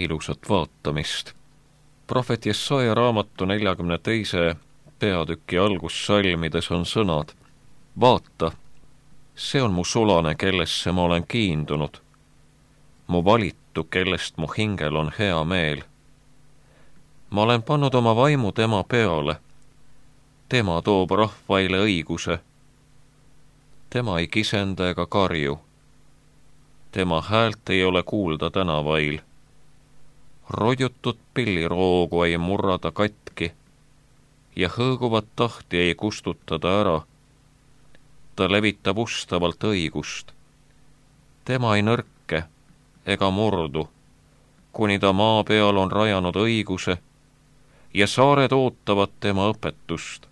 Ilusat vaatamist. Prohvet Jesaja raamatu 42. peatüki algussalmides on sõnad: vaata, see on mu sulane, kellesse ma olen kiindunud, mu valitu, kellest mu hingel on hea meel. Ma olen pannud oma vaimu tema peale, tema toob rahvaile õiguse. Tema ei kisenda ega karju, tema häält ei ole kuulda tänavail. Rojutud pilliroogu ei murrada katki ja hõõguvat tahti ei kustutada ära. Ta levitab ustavalt õigust. Tema ei nõrke ega murdu, kuni ta maa peal on rajanud õiguse ja saared ootavad tema õpetust.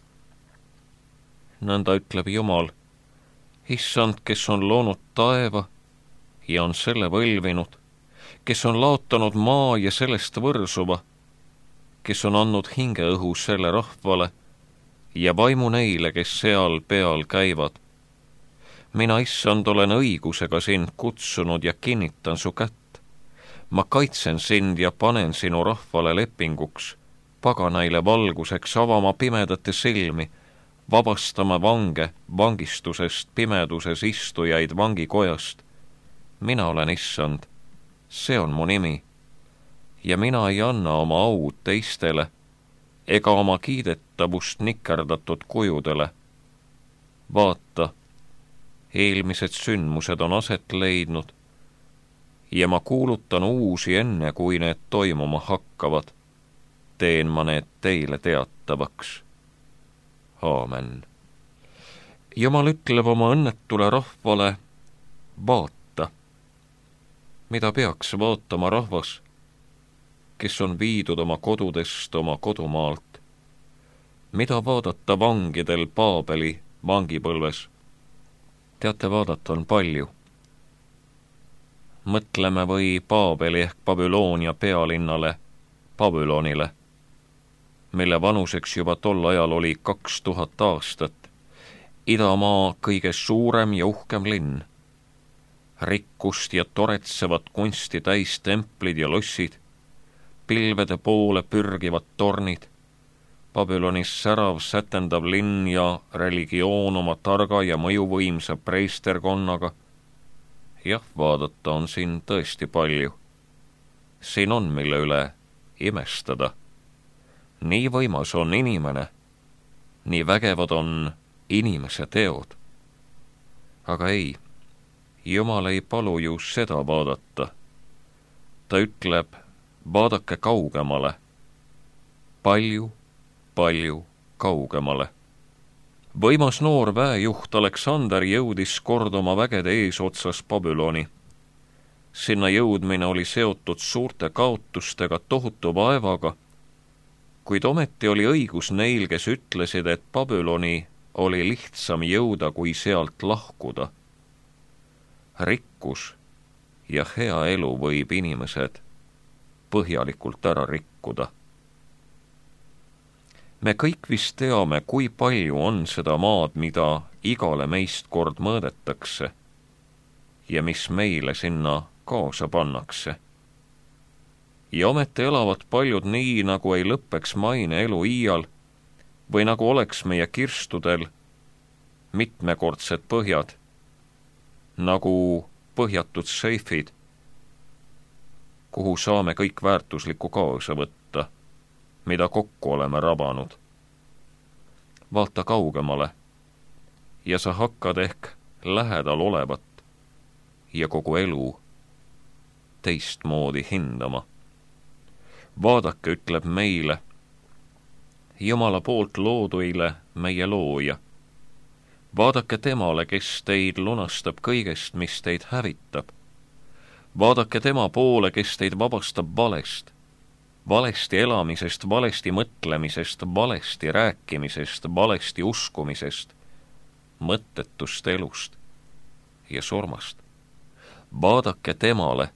Nõnda ütleb Jumal, Issand, kes on loonud taeva ja on selle võlvinud, kes on laotanud maa ja sellest võrsuva, kes on andnud hingeõhu selle rahvale ja vaimu neile, kes seal peal käivad. Mina, Issand, olen õigusega sind kutsunud ja kinnitan su kätt. Ma kaitsen sind ja panen sinu rahvale lepinguks, paganaile valguseks avama pimedate silmi, vabastama vange vangistusest, pimeduses istujaid vangikojast. Mina olen Issand, see on mu nimi, ja mina ei anna oma aud teistele ega oma kiidetavust nikerdatud kujudele. Vaata, eelmised sündmused on aset leidnud ja ma kuulutan uusi enne, kui need toimuma hakkavad. Teen ma need teile teatavaks. Aamen. Jumal ütleb oma õnnetule rahvale: vaata. Mida peaks vaatama rahvas, kes on viidud oma kodudest, oma kodumaalt? Mida vaadata vangidel Paabeli vangipõlves? Teate, vaadata on palju. Mõtleme või Paabeli ehk Babyloonia pealinnale, Babylonile, mille vanuseks juba tol ajal oli 2000 aastat, idamaa kõige suurem ja uhkem linn. Rikkust ja toretsevat kunsti täis templid ja lossid, pilvede poole pürgivad tornid, Babylonis särav sätendav linn ja religioon oma targa ja mõjuvõimsa preisterkonnaga. Jah, vaadata on siin tõesti palju. Siin on, mille üle imestada. Nii võimas on inimene, nii vägevad on inimese teod. Aga ei, Jumal ei palu ju seda vaadata. Ta ütleb, vaadake kaugemale, palju kaugemale. Võimas noor väejuht Aleksander jõudis kord oma vägede eesotsas Babyloni. Sinna jõudmine oli seotud suurte kaotustega, tohutu vaevaga, kuid ometi oli õigus neil, kes ütlesid, et Babyloni oli lihtsam jõuda, kui sealt lahkuda. Rikkus ja hea elu võib inimesed põhjalikult ära rikkuda. Me kõik vist teame, kui palju on seda maad, mida igale meist kord mõõdetakse ja mis meile sinna kaasa pannakse. Ja ometi elavad paljud nii, nagu ei lõppeks maine elu iial või nagu oleks meie kirstudel mitmekordsed põhjad, nagu põhjatud seifid, kuhu saame kõik väärtuslikku kaasa võtta, mida kokku oleme rabanud. Vaata kaugemale ja sa hakkad ehk lähedal olevat ja kogu elu teistmoodi hindama. Vaadake, ütleb meile, Jumala poolt looduile meie looja. Vaadake temale, kes teid lunastab kõigest, mis teid hävitab. Vaadake tema poole, kes teid vabastab valest, valesti elamisest, valesti mõtlemisest, valesti rääkimisest, valesti uskumisest, mõttetust elust ja surmast. Vaadake temale,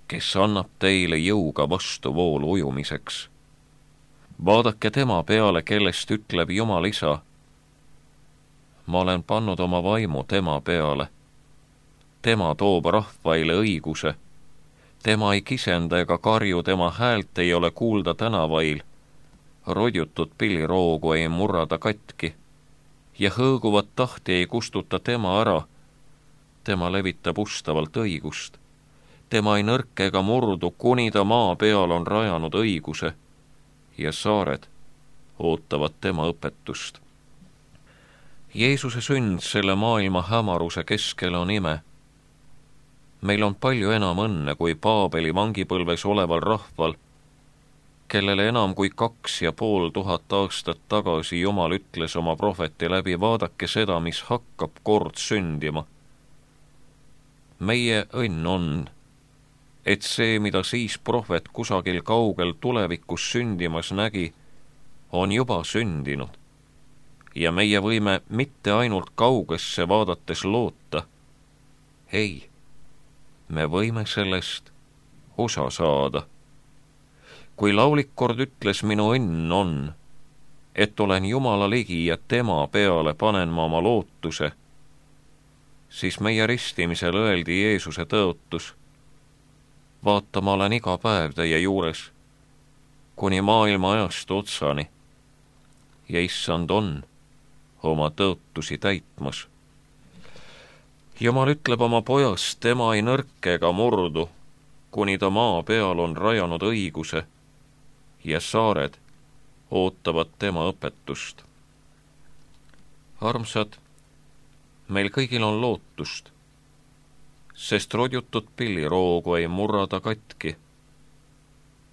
kes annab teile jõuga vastuvoolu ujumiseks. Vaadake tema peale, kellest ütleb Jumal Isa, ma olen pannud oma vaimu tema peale. Tema toob rahvaile õiguse, Tema ei kisenda ega karju, tema häält ei ole kuulda tänavail, rodjutud pilliroogu ei murrada katki ja hõõguvat tahti ei kustuta tema ära. Tema levitab ustavalt õigust. Tema ei nõrke ega murdu, kuni ta maa peal on rajanud õiguse ja saared ootavad tema õpetust. Jeesuse sünd selle maailma hämaruse keskel on ime. Meil on palju enam õnne kui Paabeli vangipõlves oleval rahval, kellele enam kui 2500 aastat tagasi Jumal ütles oma prohveti läbi: vaadake seda, mis hakkab kord sündima. Meie õnn on, et see, mida siis prohvet kusagil kaugel tulevikus sündimas nägi, on juba sündinud ja meie võime mitte ainult kaugesse vaadates loota. Ei, me võime sellest osa saada. Kui laulik kord ütles: minu õnn on, et olen Jumala ligi ja tema peale panen ma oma lootuse, siis meie ristimisel öeldi Jeesuse tõotus: vaata, ma olen iga päev teie juures kuni maailma ajastu otsani ja issand on oma tõotusi täitmas. Jumal ütleb oma pojast: tema ei nõrke ega murdu, kuni ta maa peal on rajanud õiguse ja saared ootavad tema õpetust. Armsad, meil kõigil on lootust, sest rodjutud pilliroogu ei murrada katki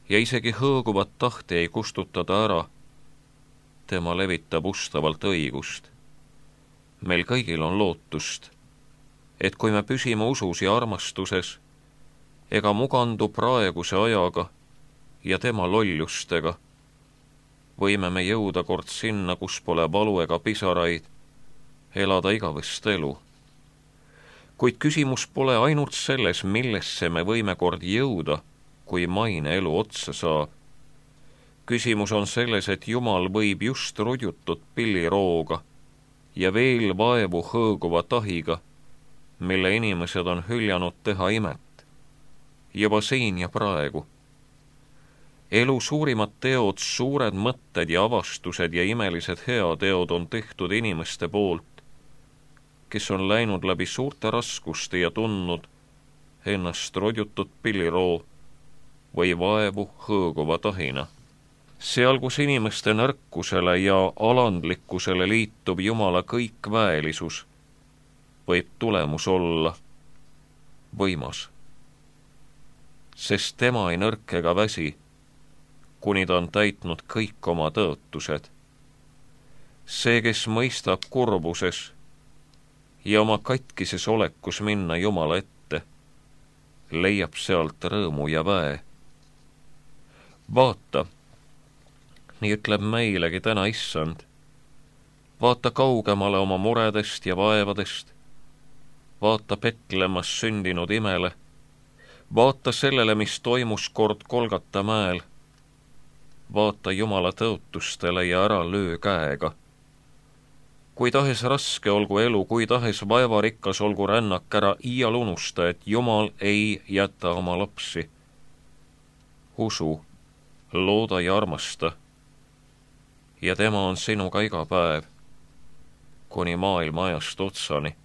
ja isegi hõõguvat tahti ei kustutada ära. Tema levitab ustavalt õigust. Meil kõigil on lootust, et kui me püsime usus ja armastuses ega mugandu praeguse ajaga ja tema lollustega, võime me jõuda kord sinna, kus pole valu ega pisaraid, elada igavest elu. Kuid küsimus pole ainult selles, millesse me võime kord jõuda, kui maine elu otsa saab. Küsimus on selles, et Jumal võib just rodjutud pillirooga ja veel vaevu hõõguva tahiga, mille inimesed on hüljanud teha imet, juba siin ja praegu. Elu suurimad teod, suured mõtted ja avastused ja imelised heateod on tehtud inimeste poolt, kes on läinud läbi suurte raskuste ja tundnud ennast rodjutud pilliroo või vaevu hõõguva tahina. Seal, kus inimeste nõrkusele ja alandlikkusele liitub Jumala kõikväelisus, võib tulemus olla võimas, sest tema ei nõrke ega väsi, kuni ta on täitnud kõik oma tõotused. See, kes mõistab kurbuses ja oma katkises olekus minna Jumala ette, leiab sealt rõõmu ja väe. Vaata, nii ütleb meilegi täna issand, vaata kaugemale oma muredest ja vaevadest, vaata Petlemmas sündinud imele, vaata sellele, mis toimus kord Golgata mäel, vaata Jumala tõotustele ja ära löö käega. Kui tahes raske olgu elu, kui tahes vaevarikas olgu rännak, ära iial unusta, et Jumal ei jäta oma lapsi. Usu, looda ja armasta, ja tema on sinuga iga päev, kuni maailma ajast otsani.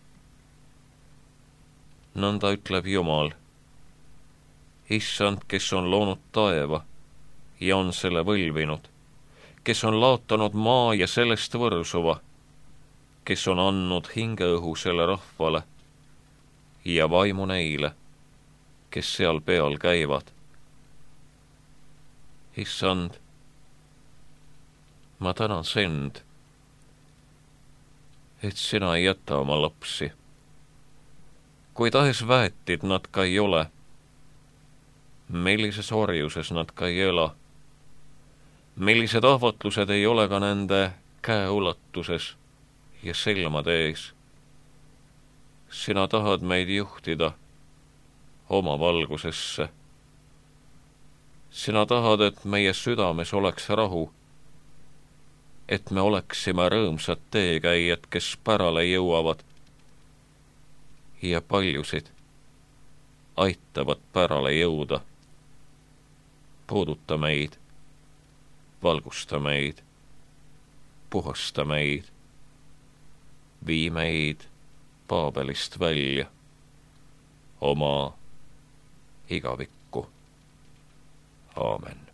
Nõnda ütleb Jumal, issand, kes on loonud taeva ja on selle võlvinud, kes on laotanud maa ja sellest võrsuva, kes on andnud hingeõhu selle rahvale ja vaimu neile, kes seal peal käivad. Issand, ma tänan sind, et sina ei jäta oma lapsi. Kui tahes väetid nad ka ei ole, millises orjuses nad ka ei ela, millised ahvatlused ei ole ka nende käeulatuses ja silmade ees. Sina tahad meid juhtida oma valgusesse. Sina tahad, et meie südames oleks rahu, et me oleksime rõõmsad teekäijad, kes pärale jõuavad ja paljusid aitavad pärale jõuda. Puuduta meid, valgusta meid, puhasta meid, vii meid Paabelist välja oma igavikku. Aamen.